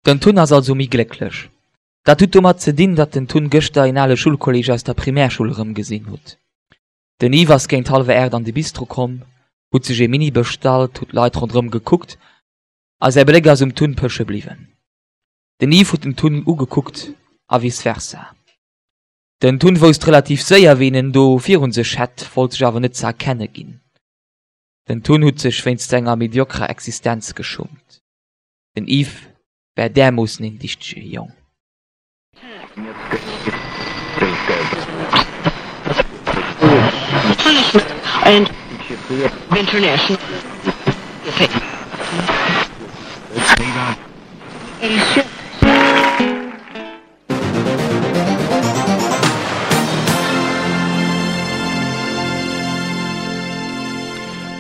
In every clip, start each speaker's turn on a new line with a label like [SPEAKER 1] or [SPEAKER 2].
[SPEAKER 1] Den Tun ass also méi glécklech. Dat hutt domat ze dinn, datt den Tun gëschter een ale Schulkolleg aus der Primärschoul erëmgesinn hutt. Den Yves ass géint hallwer 8 an de Bistro komm, hutt sech ee Mini bestallt, hutt d'Leit ronderëm gekuckt a säi Bléck ass um Tun pësche bliwwen. Den Yves hutt den Tun ugekuckt a vice versa. Den Tun wousst relativ séier, ween en do virun sech hätt, wollt sech awer net ze erkenne ginn. Den Tun hutt sech wéinst senger mediokrer Existenz geschummt. Den Yves war därmoossen een dichtege Jong.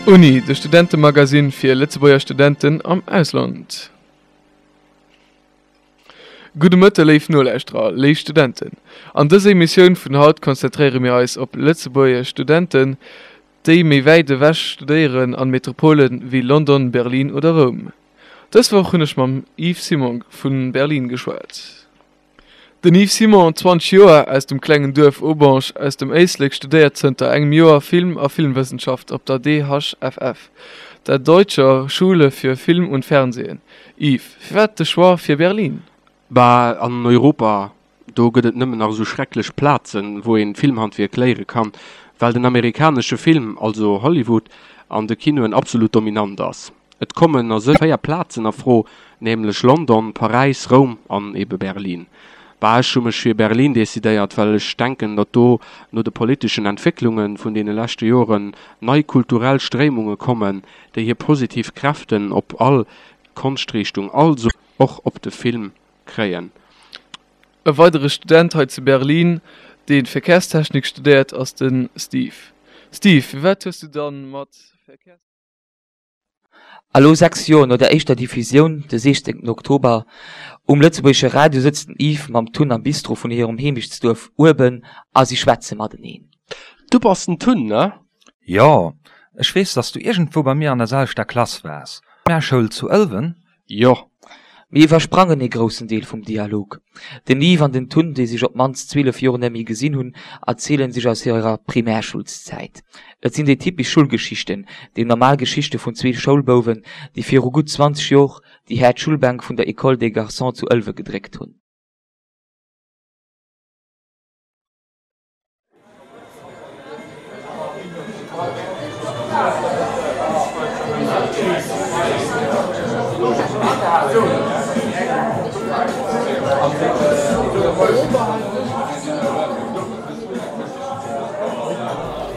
[SPEAKER 2] Uni, de Studentemagazine fir Lëtzebuerger Studenten am Ausland. Gudde Mëtte léif Nolauschterer, léif Studenten. An dëser Emissioun vun haut konzentréiere mir eis op lëtzebuergesch Studenten, déi méi wäit ewech studéieren an Metropolen wéi London, Berlin oder Roum. Dës Woch hunn ech mam Yves Simon vu Berlin geschwat. Den Yves Simon, 20 Joer, aus dem klengen Duerf Aubange aus dem Éislek studéiert zënter engem Joer Film a Filmwëssenschaft op der DHFF, der Deutscher Schule für Film und Fernsehen. Yves, firwat de Choix fir Berlin?
[SPEAKER 3] Bah, an Europa, do gëtt et nëmmen nach esou schrecklech Plazen, wou een d'Filmhandwierk léiere kann, well den amerikanesche Film, also Hollywood, an de Kinoen absolut dominant ass. Et kommen a sech 4 Plazen a Fro, nämlech London, Paräis, Roum an ebe Berlin. Bah, ech hu mech fir Berlin decidéiert, well ech denken, datt do no de politeschen Entwécklunge vun deene leschte Joren nei kulturell Stréimunge kommen, déi hir positiv Kräften op all Konschtriichtung, also och op de Film, kréien.
[SPEAKER 2] E weidere Student hei zu Berlin, dee Verkehrstechnik studéiert, ass de Steve. Steve, firwat hues du dann mat Verkehrs.
[SPEAKER 1] A lo, 6 Joer no der éischter Diffusioun, de 16 Oktober, um lëtzebuergesche Radio sëtzt den Yves mam Tun am Bistro vun hirem Heemechtsduerf Ueben a si schwätze mateneen.
[SPEAKER 3] Du bass den Tun, ne?
[SPEAKER 4] Jo, ech weess, dass du iergendwou bei mir an der selwechter Klass waars. Primärschoul zu Ëlwen?
[SPEAKER 3] Jo.
[SPEAKER 1] Mir iwwersprangen ee groussen Deel vum Dialog. Den Yves an den Tun, déi sech op d'mannst 12 Joer net méi gesinn hunn, erzielen sech aus hirer Primärschulszäit. Et sinn déi typesch Schulgeschichten, déi normal Geschichte vun zwee Schoulbouwen, déi viru gutt 20 Jor déi haart Schulbänk vun der École des Garçons zu Ëlwe gedréckt hunn.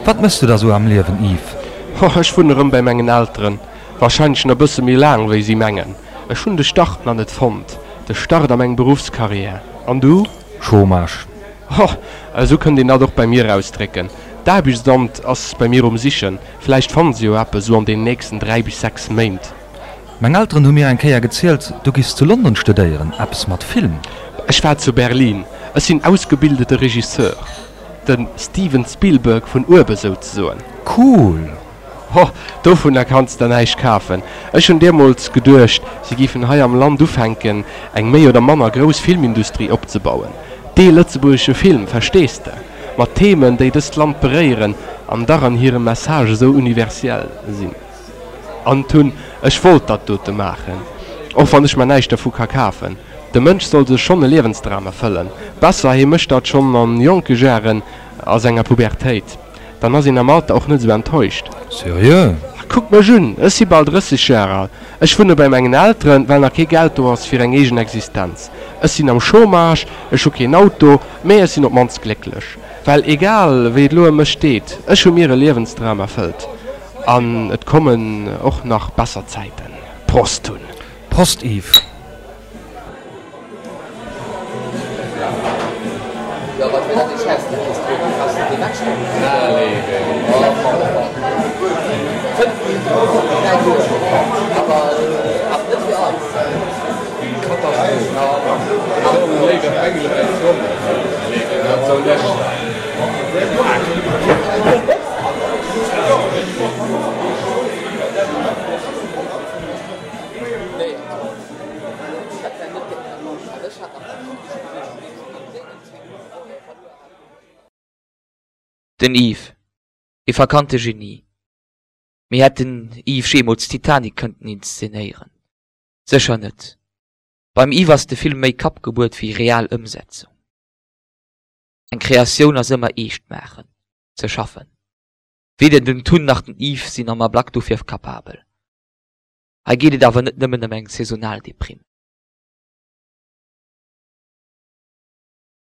[SPEAKER 4] Wat mëss du da sou am Liewen, Yves?
[SPEAKER 3] Oh, ech wunnen erëm bäi mengen Elteren. Wahrscheinlech nach bësse méi laang wéi si mengen. Ech hunn de Start nach net fonnt, de Start a meng Beruffscarrière. An du?
[SPEAKER 4] Chômage.
[SPEAKER 3] Ho, esou kënnt een dat och bei mir ausdrécken. D'Aarbechtsamt ass bei mir um Sichen. Vläicht fanne se jo eppes esou an den nächsten 3 bis 6 Méint.
[SPEAKER 4] Meng Elteren hu mir eng Kéier gezielt, du giffs zu London studéieren, eppes mat Film.
[SPEAKER 3] Ech war zu Berlin. Ech sinn ausgebildete Regisseur. De Steven Spielberg vun uewe souzesoen.
[SPEAKER 4] Cool!
[SPEAKER 3] Ho, dovunner kanns der näischt kafen. Ech hunn deemools geduecht, si giffen hei am Land ufänken, eng méi oder manner grouss Filmindustrie opzebauen. Dee lëtzebuergesche Film, verstees de? Mat Themen, déi dëst Land beréieren an dach an hirem Message esou universell sinn. An d'hunn, ech wollt dat dote maachen, och wann ech mer näischt dervu ka kafen. De Mënsch soll sech schonn e Liewensdram erfëllen. Besser, hie mécht dat schonn an jonke Jaren, a senger Pubertéit. Dann ass een am Alter och net esou enttäuscht.
[SPEAKER 4] Seriö?
[SPEAKER 3] Kuck mech un, ech si bal 30 Jar al. Ech wunne bei mengen Elteren, well nach kee Geld do ass fir eng eegen Existenz. Ech sinn am Chômage, ech hu keen Auto, mee ech sinn op d'mannst glécklech. Well egal wéi et elo ëm mech steet, ech hu mir e Liewensdram erfëllt. An et kommen och nach besser Zäiten. Prost hunn!
[SPEAKER 4] Prost Yves!
[SPEAKER 1] Den Yves, ee verkannte Genie. Mee hätt den Yves jeemools Titanic kënnten inszenéieren? Sécher net. Beim Yves ass de Film méi Kappgebuert wéi real Ëmsetzung. Eng Kreatioun ass ëmmer eescht maachen, ze schaffen. Weder den Tun nach den Yves sinn am Ablack dofir kapabel. Hei geet et awer net nëmmen ëm eng saisonal Deprimm.